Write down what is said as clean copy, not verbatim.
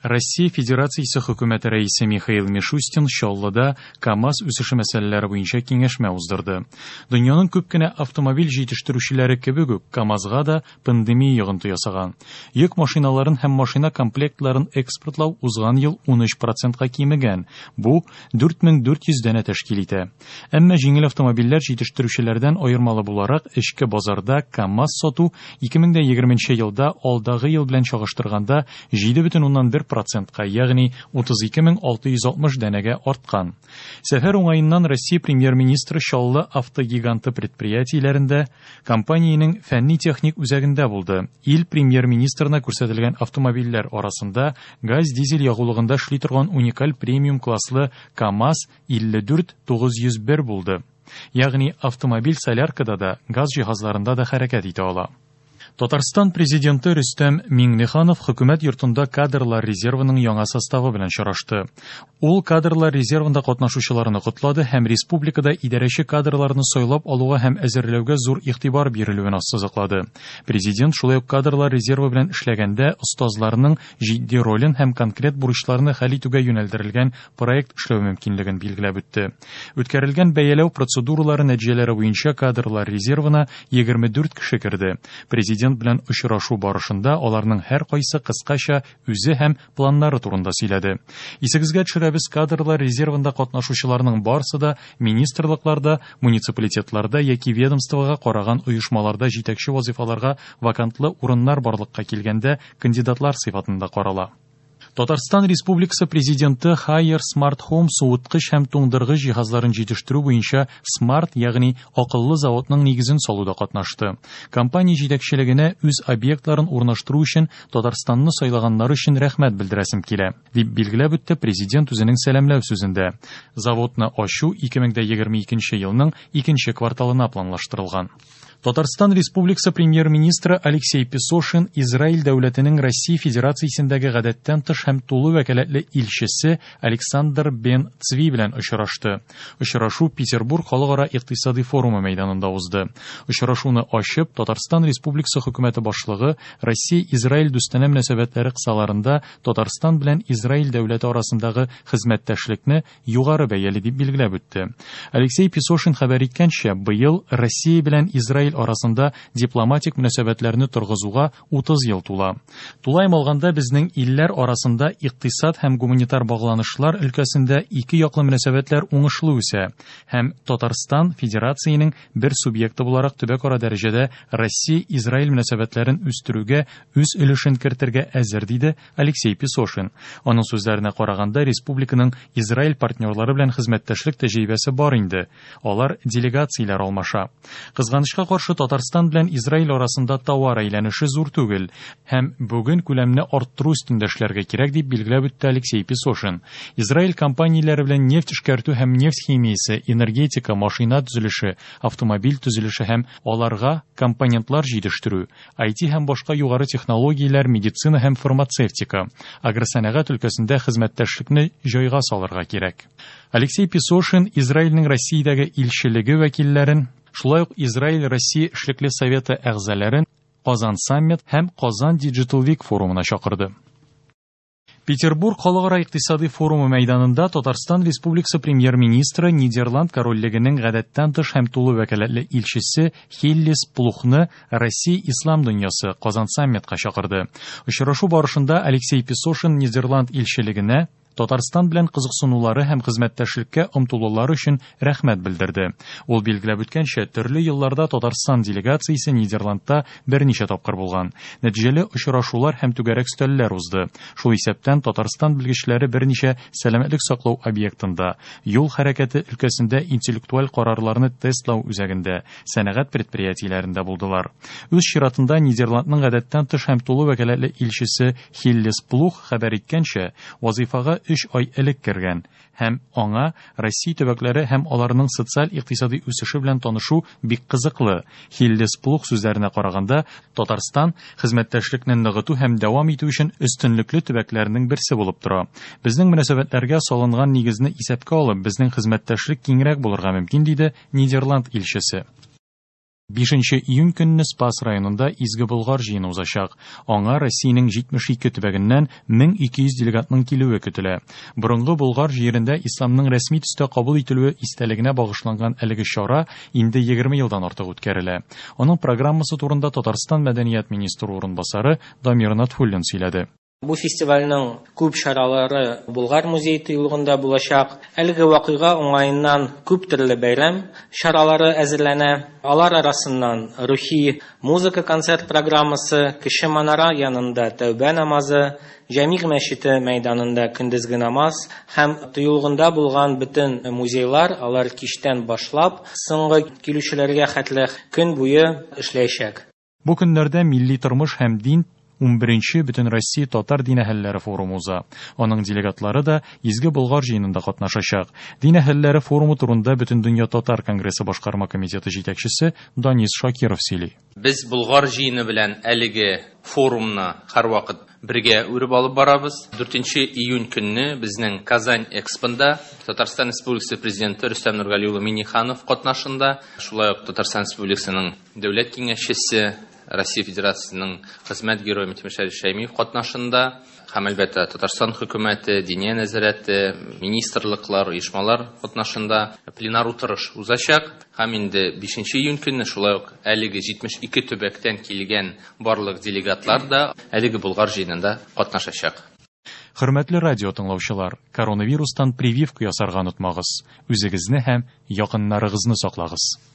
Россия Федерациясе Хөкүмәте Рәисе Михаил Мишустин Чаллыда КАМАЗ үсеше мәсьәләләре буенча киңәшмә уздырды. Дөньяның күп кенә автомобиль җитештерүчеләре кебек үк, КАМАЗга да пандемия йогынты ясаган. Йөк машиналарын һәм машина комплектларын экспортлау узган ел 13 процентка кимегән, бу 4400 данә тәшкил итә. Әмма җиңел автомобильләр җитештерүчеләрдән аермалы буларак, эчке базарда КАМАЗ сату 2020 елда алдагы ел белән чагыштырганда 7,1 процентка, ягъни 32660 данәгә арткан. Сәфәр уңаеннан Россия премьер-министры Чаллы автогиганты предприятиеләрендә, компаниянең фәнни-техник үзәгендә булды. Ил премьер-министрына күрсәтелгән автомобильләр арасында газ-дизель ягулыгында эшли торган уникаль премиум класслы КАМАЗ 54 901 булды. Ягъни автомобиль соляркада да, газ җиһазларында да хәрәкәт итә ала. Татарстан Президенты Рөстәм Миңнеханов Хөкүмәт йортында кадрлар резервының яңа составы белән очрашты. Ул кадрлар резервында катнашучыларны котлады һәм республикада идарәче кадрларны сайлап алуга һәм әзерләүгә зур игътибар бирелүен ассызыклады. Президент шулай ук кадрлар резервы белән эшләгәндә остазларның җитди ролен һәм конкрет бурычларны хәл итүгә юнәлдерелгән проект эшләү мөмкинлеген билгеләп үтте. Үткәрелгән бәяләү процедуралары нәтиҗәләре буенча кадрлар резервына 24 кеше керде. Президент белән очрашу барышында аларның һәркайсы кыскача үзе һәм планнары турында сөйләде. Исегезгә төшерәбез, кадрлар резервында катнашучыларның барысы да министрлыкларда, муниципалитетларда яки ведомствога караган оешмаларда җитәкче вазифаларга вакантлы урыннар барлыкка килгәндә кандидатлар сыйфатында карала. Татарстан Республикасы Президенты Haier Smart Home суыткыч һәм туңдыргыч җиһазларын җитештерү буенча Smart, ягъни акыллы заводның нигезен салуда катнашты. Компания җитәкчелегенә үз объектларын урнаштыру өчен Татарстанны сайлаганнары өчен рәхмәт белдерәсем килә, дип билгеләп үтте президент үзенең сәламләү сүзендә. Заводны ачу 2022 елның икенче кварталына планлаштырылган. Татарстан Республикасы премьер-министры Алексей Песошин Израиль дәүләтенең Россия Федерациясендәге гадәттән тыш һәм тулы вәкаләтле илчесе Александр Бен Цви белән очрашты. Очрашу Петербург халыкара икътисади форумы мәйданында узды. Очрашуны ачып, Татарстан Республикасы хөкүмәте башлыгы Россия-Израиль дустанә мөнәсәбәтләре кысаларында Татарстан белән Израиль дәүләте арасындагы хезмәттәшлекне югары бәяли дип билгеләп үтте. Алексей Песошин хәбәр иткәнчә, быел Россия белән Израиль арасында дипломатик мөнәсәбәтләрне торгызуга 30 ел тула. Тулаем алганда безнең илләр арасында икътисад һәм гуманитар багланышлар өлкәсендә ике яклы мөнәсәбәтләр уңышлы үсә һәм Татарстан Федерациянең бер субъекты буларак төбәкара дәрәҗәдә Россия-Израиль мөнәсәбәтләрен үстерүгә үз өлешен кертергә әзер, диде Алексей Песошин. Аның сүзләренә караганда, республиканың Израиль партнерлары белән хезмәттәшлек тәҗрибәсе бар инде. Алар делегацияләр алмаша. Кызганычка каршы, Татарстан белән Израиль арасында товар әйләнеше зур түгел һәм бүген күләмне арттыру өстендә эшләргә кирәк, дип билгеләп үтте Алексей Песошин. Израиль компанияләре белән нефть эшкәртү һәм нефть химиясе, энергетика, машина төзелеше, автомобиль төзелеше һәм аларга компонентлар җитештерү, IT һәм башка югары технологияләр, медицина һәм фармацевтика, агросәнәгать өлкәсендә хезмәттәшлекне җайга салырга кирәк. Алексей Песошин Израильнең Россиядәге илчелеге вәкилләрен, шулай ук Израиль-Россия эшлекле советы әгъзаларын Казан Саммит һәм Казан Digital Week форумына чакырды. Петербург халыкара икътисади форумы мәйданында Татарстан Республикасы премьер-министры Нидерланд корольлегенең гадәттән тыш һәм тулы вәкаләтле илчесе Хиллис Плухны Россия Ислам дөньясы Казан саммитка чакырды. Очрашу барышында Алексей Песошин Нидерланд илчелегенә Татарстан белән кызыксынулары һәм хезмәттәшлеккә омтылулары өчен рәхмәт белдерде. Ул билгеләп үткәнчә, төрле елларда Татарстан делегациясе Нидерландта берничә тапкыр булган. Нәтиҗәле очрашулар һәм түгәрәк өстәлләр узды. Шул исәптән Татарстан белгечләре берничә сәламәтлек саклау объектында, юл хәрәкәте өлкәсендә интеллектуаль карарларны тестлау үзәгендә, сәнәгать предприятиеләрендә булдылар. Үз чиратында Нидерландның гадәттән тыш һәм тулы вәкаләтле илчесе Хиллес Плух хәбәр иткәнчә, вазифага 3 ай элек кергән һәм аңа Россия төбәкләре һәм аларның социаль-икътисади үсеше белән танышу бик кызыклы. Хиллес Плух сүзләренә караганда, Татарстан хезмәттәшлекне ныгыту һәм дәвам итү өчен өстенлекле төбәкләрнең берсе булып тора. Безнең мөнәсәбәтләргә салынган нигезне исәпкә алып, безнең хезмәттәшлек киңрәк булырга мөмкин, диде Нидерланд илчесе. 5 июнь көнне Спас районында Изге Болгар җыены узачак. Аңа Россиянең 72 төбәгеннән 1200 делегатның килүе көтелә. Борынгы Болгар җирендә исламның рәсми төстә кабул ителүе истәлегенә багышланган әлеге чара инде 20 елдан артык үткәрелә. Аның программасы турында Татарстан мәдәният министры урынбасары Дамир Натфуллин сөйләде. Бу фестивальнең күп чаралары Болгар музей тыюлыгында булачак. Әлеге вакыйга уңаеннан күп төрле бәйрәм чаралары әзерләнә. Алар арасыннан рухи музыка концерт программасы, Кече манара янында тәүбә намазы, Җәмигъ мәчете мәйданында көндезге намаз һәм тыюлыгында булган бөтен музейлар, алар кичтән башлап соңгы килүчеләргә хәтле көн буе эшләячәк. Бу көннәрдә милли тормыш һәм дин 11нче Бөтенроссия татар дин әһелләре форумы уза. Аның делегатлары да Изге Болгар җыенында катнашачак. Дин әһелләре форумы турында Бөтендөнья татар конгрессы башкарма комитеты җитәкчесе Данис Шакиров сөйли. Без Болгар җыены белән әлеге форумны һәрвакыт бергә үреп алып барабыз. 4 июнь көнне безнең Казань Экспонда Татарстан Республикасы президенты Рөстәм Нургали улы Минниханов катнашында, шулай ук Татарстан Республикасының дәүләт киңәшчесе, Россия Федерациясының хезмәт герое Минтимер Шәймиев катнашында һәм әлбәттә Татарстан хөкүмәте, Диния нәзарәте, министрлыклар, оешмалар катнашында пленар утырыш узачак. Һәм инде 5 июнь көнне шулай ук әлеге 72 төбәктән килгән барлык делегатлар да әлеге Болгар җыенында катнашачак. Хөрмәтле радио тыңлаучылар, коронавирустан прививка ясарга онытмагыз. Үзегезне һәм якыннарыгызны саклагыз.